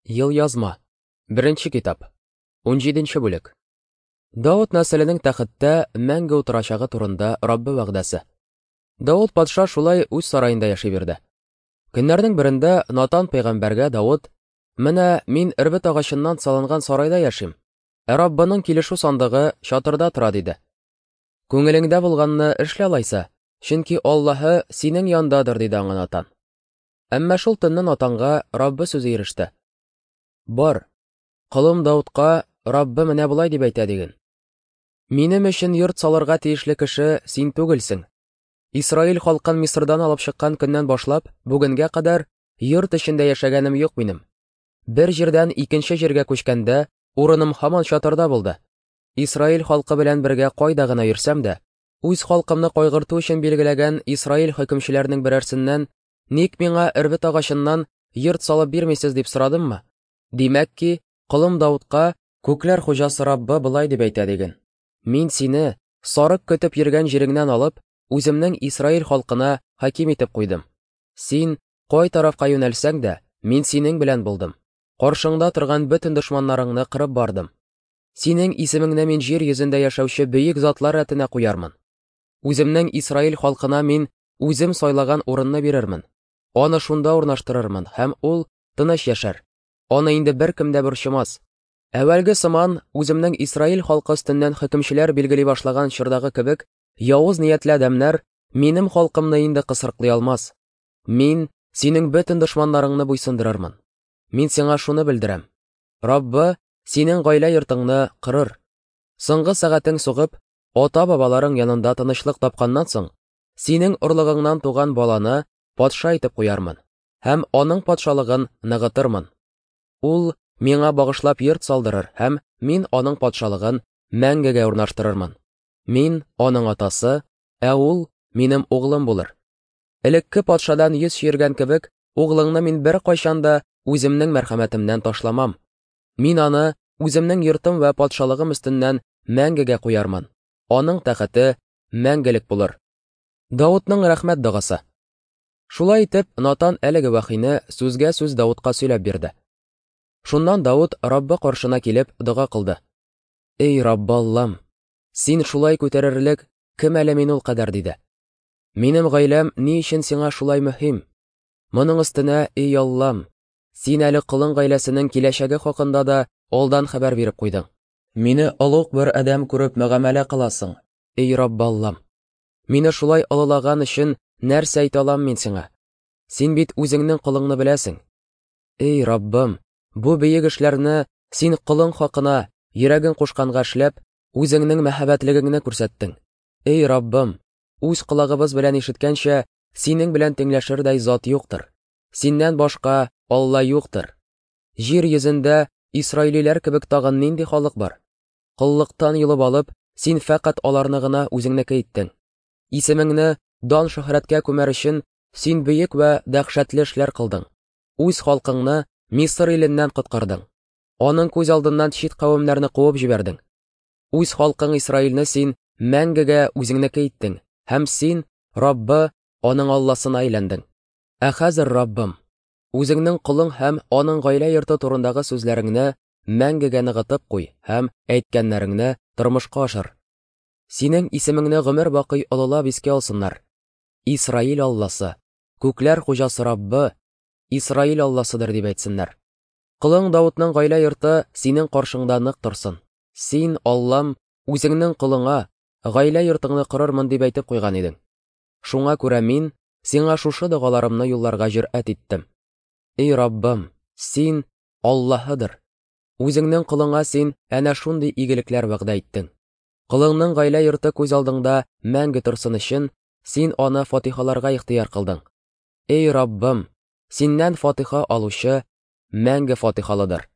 Елъязма. Беренче китап. 17 бүлек. Давыт нәселенең тәхеттә мәңге утырачагы турында Раббы вәгъдәсе. Давыт патша шулай үз сараенда яши бирде. Көннәрнең берендә Натан пәйгамбәргә Давыт: "Менә мин эрбет агачыннан салынган сарайда яшим, ә Раббының килешү сандыгы чатырда тора", диде. Күңелеңдә булганны эшлә алайса, чөнки Аллаһы синең яндадыр, диде аңа Натан. Әмма шул төнне Натанга Раббы сүзе иреште. Бар, колым Даудка Раббы менә болай дип әйтә диген. Минем өчен йорт салырга тиешле кеше син түгелсең. Исраил халкын Мисырдан алып чыккан көннән башлап, бүгенгә кадәр йорт эчендә яшәгәнем юк минем. Бер җирдән икенче җиргә күчкәндә, урыным һаман чатырда булды. Исраил халкы белән бергә кайда гына йөрсәм дә, үз халкымны кайгырту өчен билгеләгән Исраил хөкемчеләренең берәрсеннән Ник миңа эрбет агачыннан йорт салып бирмисез дип сорадыммы? Димәк ки, колым Даудка күкләр хуҗасы Раббы болай дип әйтә диген. Мин сине, сарык көтеп йөргән җиреңнән алып, үземнең Исраил халкына хаким итеп куйдым. Син кай тарафка юнәлсәң дә, мин синең белән булдым. Каршыңда торган бөтен дошманнарыңны кырып бардым. Синең исемеңне мин җир йөзендә яшәүче бөек затлар рәтенә куярмын. Үземнең Исраил халкына мин үзем сайлаган урынны бирермен. Аны шунда урнаштырырмын, һәм ул тыныч яшәр. Аны инде беркем дә борчымас. Әүвәлге сыман, үземнең Исраил халкы өстеннән хөкемчеләр билгели башлаган чордагы кебек, явыз ниятле адәмнәр минем халкымны инде кысрыклый алмас. Мин синең бөтен дошманнарыңны буйсындырырмын. Мин сиңа шуны белдерәм. Раббы синең гаилә йортыңны кырыр. Соңгы сәгатең сугып, ата-бабаларың янында тынычлык тапканнан соң, синең орлыгыңнан туган баланы патша итеп куярмын һәм аның патшалыгын ныгытырмын. Ул миңа багышлап йорт салдырыр һәм мин аның патшалыгын мәңгегә урнаштырырмын. Мин аның атасы, ә ул минем углым булыр. Элекке патшадан йөз чөергән кебек, углыңны мин беркайчан да үземнең мәрхәмәтемнән ташламам. Мин аны үземнең йортым вә патшалыгым өстеннән мәңгегә куярмын. Аның тәхете мәңгелек булыр. Давытның рәхмәт догасы. Шулай итеп, Натан әлеге вәхине сүзгә сүз Давытка сөйләп бирде. Шуннан Давыт Раббы каршына килеп дога кылды. Эй, Раббы Аллам, син шулай күтәрерлек кем әле мин ул кадәр, диде. Минем гаиләм ни өчен сиңа шулай мөһим? Моның өстенә, эй Аллам, син әле колың гаиләсенең киләчәге хакында да алдан хәбәр биреп куйдың. Мине олуг бер адәм күреп мөгамәлә кыласың, эй Раббы Аллам. Мине шулай олылаган өчен нәрсә әйтә алам мин сиңа? Син бит үзеңнең колыңны беләсең. Эй Раббым, бу бөек эшләрне син колың хакына, йөрәгең кушканга эшләп, үзеңнең мәһабәтлегеңне күрсәттең. Эй Раббым, үз колагыбыз белән ишеткәнчә, синең белән тиңләшердәй зат юктыр. Синнән башка Алла юктыр. Җир йөзендә исраилиләр кебек тагын нинди халык бар? Коллыктан йолып алып, син фәкать аларны гына үзеңнеке иттең. Исемеңне дан шөһрәткә күмәр өчен син бөек вә дәһшәтле эшләр кылдың. Үз халкыңны Мисыр иленнән коткардың. Аның күз алдыннан чит кавемнәрне куып җибәрдең. Үз халкың Исраилне син мәңгегә үзеңнеке иттең, һәм син, Раббы, аның Алласына әйләндең. Ә хәзер, Раббым, үзеңнең колың һәм аның гаилә йорты турындагы сүзләреңне мәңгегә ныгытып куй һәм әйткәннәреңне тормышка ашыр. Синең исемеңне гомер бакый олылап искә алсыннар. Исраил Алласы, күкләр хуҗасы Раббы, Исраил Алласыдыр дип әйтсеннәр. Колың Давытның гаилә йорты синең каршыңда нык торсын. Син, Аллам, үзеңнең колыңа гаилә йортыңны корырмын дип әйтеп куйган идең. Шуңа күрә мин сиңа шушы догаларымны юлларга җөрьәт иттем. Эй Раббым, син Аллаһыдыр. Үзеңнең колыңа син әнә шундый игелекләр вәгъдә иттең. Колыңның гаилә йорты күз алдыңда мәңге торсын өчен, син аны фатихаларга ихтыяр кылдың. Эй Раббым, синнән фатиха алучы мәңге фатихалыдыр.